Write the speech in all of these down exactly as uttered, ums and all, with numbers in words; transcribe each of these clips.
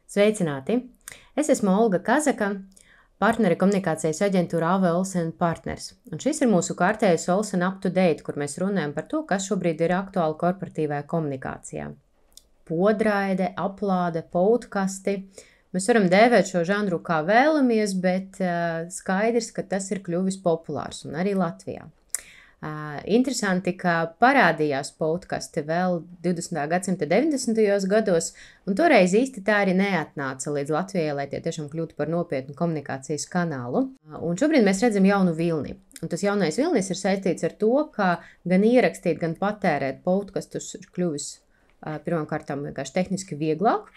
Sveicināti! Es esmu Olga Kazaka, partneri komunikācijas aģentūra A V Olsen Partners. Un šis ir mūsu kārtējais Olsen Up to Date, kur mēs runājam par to, kas šobrīd ir aktuāli korporatīvajā komunikācijā. Podraide, aplāde, podkasti. Mēs varam dēvēt šo žanru kā vēlamies, bet uh, skaidrs, ka tas ir kļuvis populārs un arī Latvijā. Uh, interesanti, ka parādījās podkasti vēl divdesmitā gadsimta deviņdesmitajos gados, un toreiz īsti tā arī neatnāca līdz Latvijai, lai tie tiešām kļūtu par nopietnu komunikācijas kanālu. Uh, un šobrīd mēs redzam jaunu vilni. Un tas jaunais vilnis ir saistīts ar to, ka gan ierakstīt, gan patērēt podkastus ir kļuvis uh, pirmkārtām vienkārši tehniski vieglāk.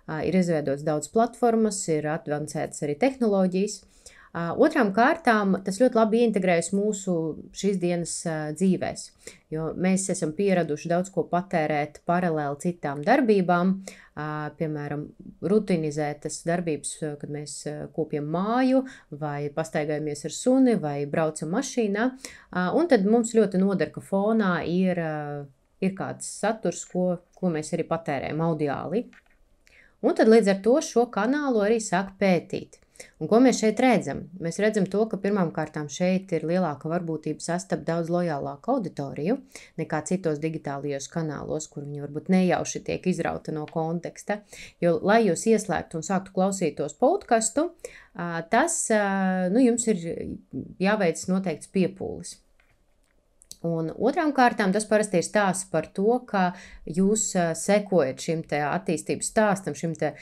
Uh, ir izveidots daudz platformas, ir advancētas arī tehnoloģijas. Uh, otrām kārtām tas ļoti labi integrējas mūsu šīs dienas uh, dzīvēs, jo mēs esam pieraduši daudz ko patērēt paralēli citām darbībām, uh, piemēram, rutinizētas darbības, kad mēs uh, kopjam māju vai pastaigājamies ar suni vai braucam mašīnā, uh, un tad mums ļoti noder, ka fonā ir, uh, ir kāds saturs, ko, ko mēs arī patērējam audiāli. Un tad līdz ar to šo kanālu arī sāk pētīt. Un ko mēs šeit redzam? Mēs redzam to, ka pirmām kārtām šeit ir lielāka varbūtība sastapt daudz lojālāku auditoriju nekā citos digitālajos kanālos, kur viņi varbūt nejauši tiek izrauta no konteksta. Jo, lai jūs ieslēgtu un sāktu klausītos podkastu, tas, nu, jums ir jāveic noteikts piepūlis. Un otrām kārtām tas parasti ir stāsts par to, ka jūs sekojat šim te attīstības stāstam, šim te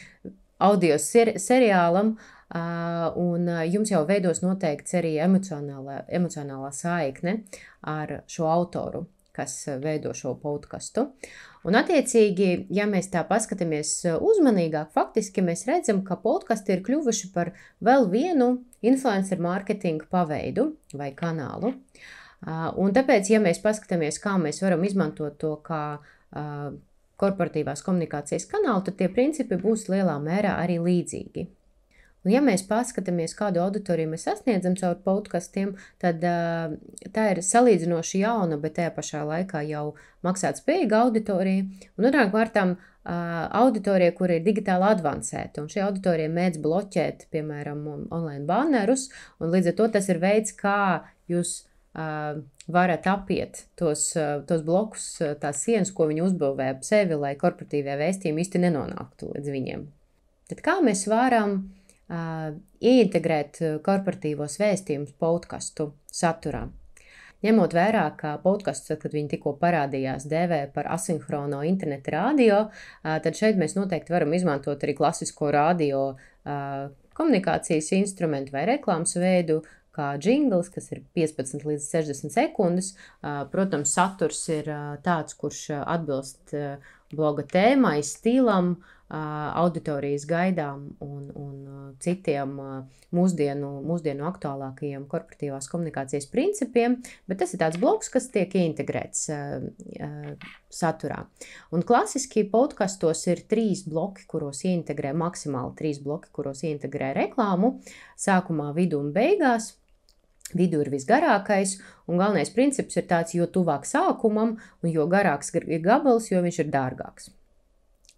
audio seri seriālam, Uh, un jums jau veidos noteikts arī emocionālā, emocionālā saikne ar šo autoru, kas veido šo podkastu. Un attiecīgi, ja mēs tā paskatāmies uzmanīgāk, faktiski mēs redzam, ka podkasti ir kļuvuši par vēl vienu influencer marketinga paveidu vai kanālu. Uh, un tāpēc, ja mēs paskatāmies, kā mēs varam izmantot to kā uh, korporatīvās komunikācijas kanālu, tad tie principi būs lielā mērā arī līdzīgi. Un ja mēs paskatāmies, kādu auditoriju mēs sasniedzam caur podkastiem, tad uh, tā ir salīdzinoši jauna, bet tajā pašā laikā jau maksāt spējīga auditorija. Un otrām kārtām uh, auditorija, kur ir digitāli advancēta. Un šī auditorija mēdz bloķēt, piemēram, online bannerus, un līdz ar to tas ir veids, kā jūs uh, varat apiet tos, uh, tos blokus, uh, tās sienas, ko viņi uzbūvē ap sevi, lai korporatīvie vēstījumi īsti nenonāktu līdz viņiem. Tad kā mēs varam Uh, ieintegrēt korporatīvos vēstījumus podkastu saturā? Ņemot vērā, ka podkasts, kad viņi tikko parādījās, dēvē par asinhrono interneta radio, uh, tad šeit mēs noteikti varam izmantot arī klasisko radio uh, komunikācijas instrumentu vai reklāmas veidu, kā džingls, kas ir piecpadsmit līdz sešdesmit sekundes. Uh, protams, saturs ir uh, tāds, kurš atbilst uh, bloga tēmai, stilam, auditorijas gaidām un, un citiem mūsdienu, mūsdienu aktuālākajiem korporatīvās komunikācijas principiem, bet tas ir tāds bloks, kas tiek integrēts uh, uh, saturā. Un klasiski podkastos ir trīs bloki, kuros ieintegrē, maksimāli trīs bloki, kuros ieintegrē reklāmu, sākumā, vidu un beigās. Vidu ir visgarākais, un galvenais princips ir tāds, jo tuvāk sākumam, un jo garāks ir gabals, jo viņš ir dārgāks.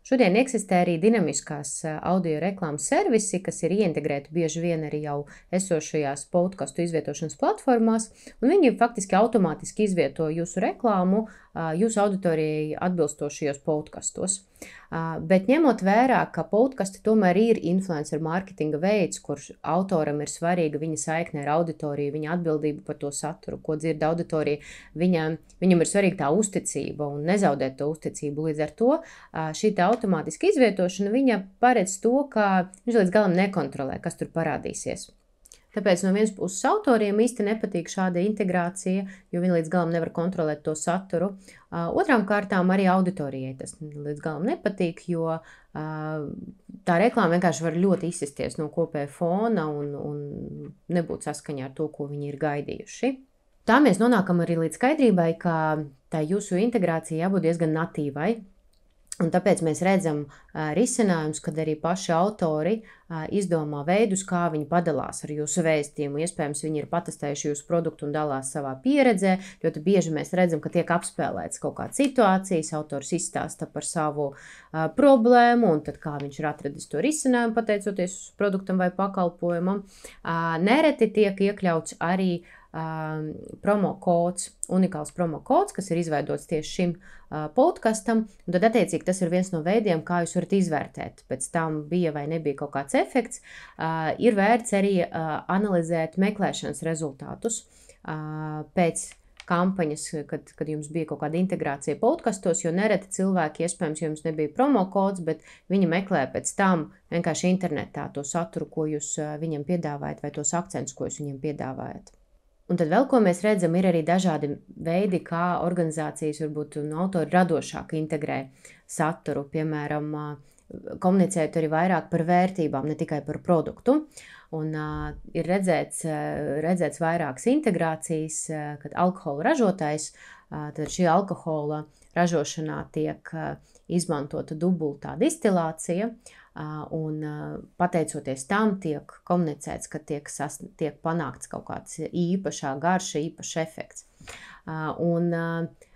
Šodien eksistē arī dinamiskās audio reklāmas servisi, kas ir ieintegrēti bieži vien arī jau esošajās podkastu izvietošanas platformās, un viņi faktiski automātiski izvieto jūsu reklāmu jūsu auditorijai atbilstošajos podkastos. Bet ņemot vērā, ka podkasti tomēr ir influencer marketinga veids, kurš autoram ir svarīga viņa saikne ar auditoriju, viņa atbildība par to saturu, ko dzird auditorija, viņam, viņam ir svarīga tā uzticība un nezaudēt to uzticību. Līdz ar to šī tā automātiska izvietošana, viņa paredz to, ka viņš līdz galam nekontrolē, kas tur parādīsies. Tāpēc no vienas puses autoriem īsti nepatīk šāda integrācija, jo viņi līdz galam nevar kontrolēt to saturu. Uh, otrām kārtām arī auditorijai tas līdz galam nepatīk, jo uh, tā reklāma vienkārši var ļoti izsisties no kopēja fona un, un nebūt saskaņā ar to, ko viņi ir gaidījuši. Tā mēs nonākam arī līdz skaidrībai, ka tā jūsu integrācija jābūt diezgan natīvai. Un tāpēc mēs redzam uh, risinājumus, kad arī paši autori uh, izdomā veidus, kā viņi padalās ar jūsu vēstījumu. Iespējams, viņi ir patestējuši jūsu produktu un dalās savā pieredzē. Ļoti bieži mēs redzam, ka tiek apspēlēts kaut kādas situācijas, autors izstāsta par savu uh, problēmu, un tad kā viņš ir atradis to risinājumu, pateicoties produktam vai pakalpojumam. Uh, nereti tiek iekļauts arī Um, promo kods, unikāls promo kods, kas ir izveidots tieši šim uh, podkastam, un tad attiecīgi tas ir viens no veidiem, kā jūs varat izvērtēt, pēc tam bija vai nebija kaut kāds efekts. Uh, ir vērts arī uh, analizēt meklēšanas rezultātus uh, pēc kampaņas, kad, kad jums bija kaut kāda integrācija podkastos, jo nereti cilvēki, iespējams, jums nebija promo kods, bet viņi meklē pēc tam vienkārši internetā to saturu, ko jūs uh, viņam piedāvājat, vai tos akcentus, ko jūs viņam piedāvājat. Un tad vēl, ko mēs redzam, ir arī dažādi veidi, kā organizācijas varbūt un autori radošāk integrē saturu, piemēram, komunicējot arī vairāk par vērtībām, ne tikai par produktu. Un uh, ir redzēts, uh, redzēts vairākas integrācijas, uh, kad alkohola ražotājs, uh, tad šī alkohola ražošanā tiek uh, izmantota dubultā distilācija, uh, un uh, pateicoties tam tiek komunicēts, ka tiek, sas, tiek panākts kaut kāds īpašā garša, īpašs efekts. Uh, un uh,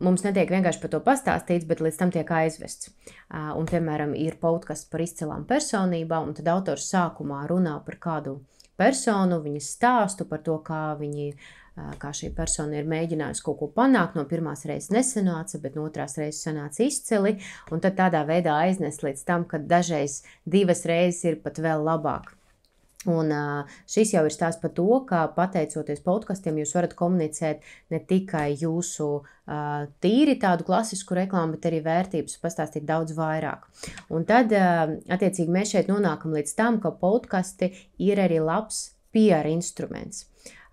mums netiek vienkārši par to pastāstīts, bet līdz tam tiek aizvests. Uh, un, piemēram, ir podcasts par izcilām personībām, un tad autors sākumā runā par kādu personu, viņas stāstu par to, kā viņi, uh, kā šī persona ir mēģinājusi kaut ko panākt. No pirmās reizes nesanāca, bet no otrās reizes sanāca izcili, un tad tādā veidā aiznest līdz tam, ka dažreiz divas reizes ir pat vēl labāk. Un šis jau ir stāsts par to, ka pateicoties podkastiem jūs varat komunicēt ne tikai jūsu uh, tīri tādu klasisku reklāmu, bet arī vērtības, pastāstīt daudz vairāk. Un tad, uh, attiecīgi, mēs šeit nonākam līdz tam, ka podkasti ir arī labs P R instruments,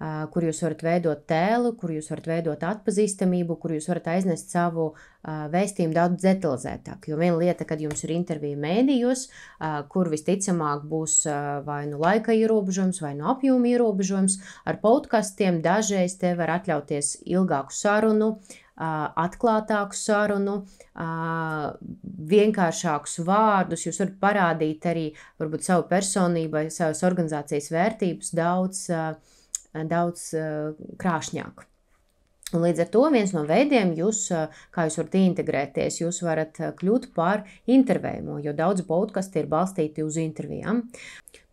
uh, kur jūs varat veidot tēlu, kur jūs varat veidot atpazīstamību, kur jūs varat aiznest savu uh, vēstījumu daudz detalizētāk. Jo viena lieta, kad jums ir intervija mēdījos, uh, kur visticamāk būs uh, vai nu laika ierobežojums, vai nu apjoma ierobežojums, ar podkastiem dažreiz te var atļauties ilgāku sarunu, uh, atklātāku sarunu, uh, vienkāršākus vārdus. Jūs varat parādīt arī varbūt savu personību vai savas organizācijas vērtības daudz, uh, daudz uh, krāšņāk. Un līdz ar to viens no veidiem, jūs, kā jūs varat integrēties, jūs varat kļūt par intervējumu, jo daudzi podkasti ir balstīti uz intervijām.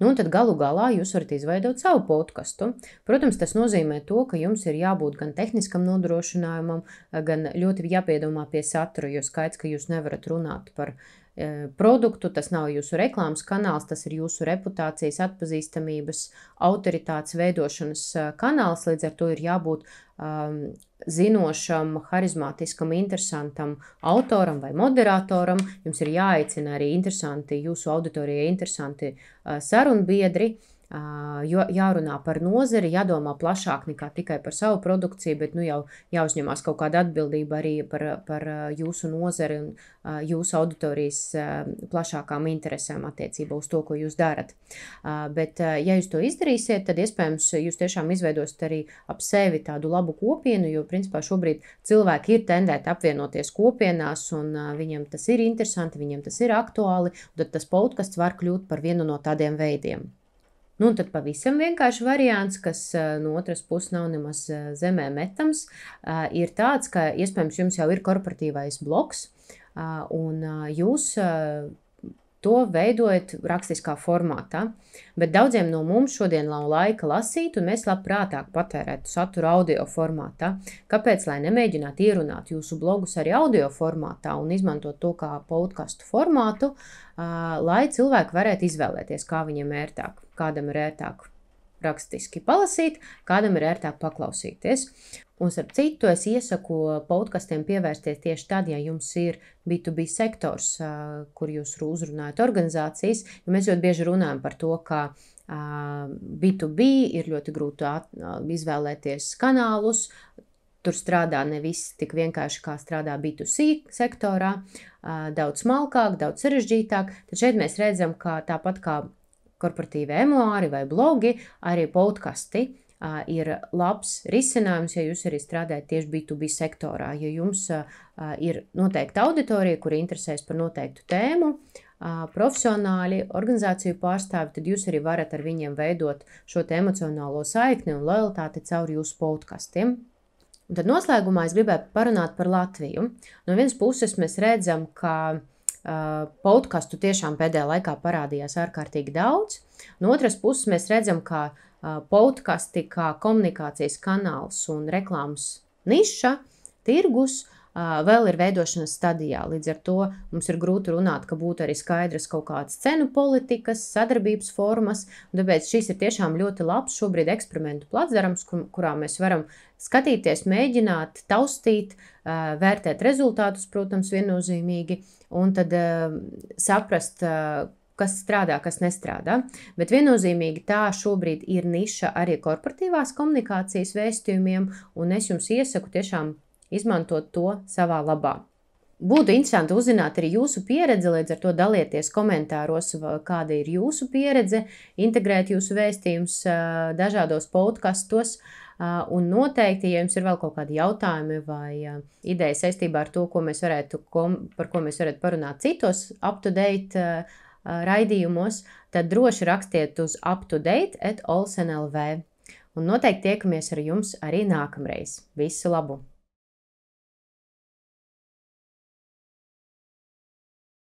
Nu, un tad galu galā jūs varat izveidot savu podkastu. Protams, tas nozīmē to, ka jums ir jābūt gan tehniskam nodrošinājumam, gan ļoti jāpiedomā pie satura, jo skaidrs, ka jūs nevarat runāt par e, produktu, tas nav jūsu reklāmas kanāls, tas ir jūsu reputācijas, atpazīstamības, autoritātes veidošanas kanāls, līdz ar to ir jābūt um, zinošam, harizmātiskam, interesantam autoram vai moderatoram. Jums ir jāaicina arī interesanti, jūsu auditorijai interesanti uh, sarunbiedri, uh, jo jārunā par nozari, jādomā plašāk nekā tikai par savu produkciju, bet nu jau jāuzņemās kaut kāda atbildība arī par, par jūsu nozari un uh, jūsu auditorijas uh, plašākām interesēm attiecībā uz to, ko jūs darat. Uh, bet, uh, ja jūs to izdarīsiet, tad iespējams jūs tiešām izveidosiet arī ap sevi tādu labu kopienu, jo principā šobrīd cilvēki ir tendēti apvienoties kopienās, un uh, viņiem tas ir interesanti, viņiem tas ir aktuāli, un tad tas podkasts var kļūt par vienu no tādiem veidiem. Nu, un tad pavisam vienkārši variants, kas uh, no otras puses nav nemaz uh, zemē metams, uh, ir tāds, ka iespējams jums jau ir korporatīvais blogs, uh, un uh, jūs uh, to veidojat rakstiskā formātā, bet daudziem no mums šodien nav laika lasīt, un mēs labprātāk patērētu saturu audio formātā. Kāpēc, lai nemēģinātu ierunāt jūsu blogus arī audio formātā un izmantot to kā podcastu formātu, uh, lai cilvēki varētu izvēlēties, kā viņiem ērtāk, kādam ir ērtāk rakstiski palasīt, kādam ir ērtāk paklausīties. Un starp citu, es iesaku podkastiem pievērsties tieši tad, ja jums ir B to B sektors, kur jūs uzrunājat organizācijas, jo mēs ļoti bieži runājam par to, ka B to B ir ļoti grūti izvēlēties kanālus, tur strādā nevis tik vienkārši, kā strādā B to C sektorā, daudz smalkāk, daudz sarežģītāk, tad šeit mēs redzam, ka tāpat kā korporatīvi emuāri vai blogi, arī podkasti ir labs risinājums, ja jūs arī strādājat tieši B to B sektorā, ja jums ir noteikta auditorija, kuri interesēs par noteiktu tēmu, profesionāļi, organizāciju pārstāvi, tad jūs arī varat ar viņiem veidot šo te emocionālo saikni un lojalitāti caur jūsu podkastiem. Un tad noslēgumā es gribētu parunāt par Latviju. No vienas puses mēs redzam, ka uh, podkastu tiešām pēdējā laikā parādījās ārkārtīgi daudz. No otras puses mēs redzam, ka uh, podkasti kā komunikācijas kanāls un reklāmas niša, tirgus, uh, vēl ir veidošanas stadijā. Līdz ar to mums ir grūti runāt, ka būtu arī skaidras kaut kādas cenu politikas, sadarbības formas, un tāpēc šis ir tiešām ļoti labs šobrīd eksperimentu placdarms, kur, kurā mēs varam skatīties, mēģināt, taustīt, vērtēt rezultātus, protams, viennozīmīgi, un tad saprast, kas strādā, kas nestrādā. Bet viennozīmīgi tā šobrīd ir niša arī korporatīvās komunikācijas vēstījumiem, un es jums iesaku tiešām izmantot to savā labā. Būtu interesanti uzzināt arī jūsu pieredzi, līdz ar to dalieties komentāros, kāda ir jūsu pieredze, integrēt jūsu vēstījumus dažādos podkastos, un noteikti, ja jums ir vēl kaut kādi jautājumi vai ideja saistībā ar to, ko mēs varētu, par ko mēs varētu parunāt citos up-to-date raidījumos, tad droši rakstiet uz up-to-date at olsen dot l v. Un noteikti tiekamies ar jums arī nākamreiz. Visu labu!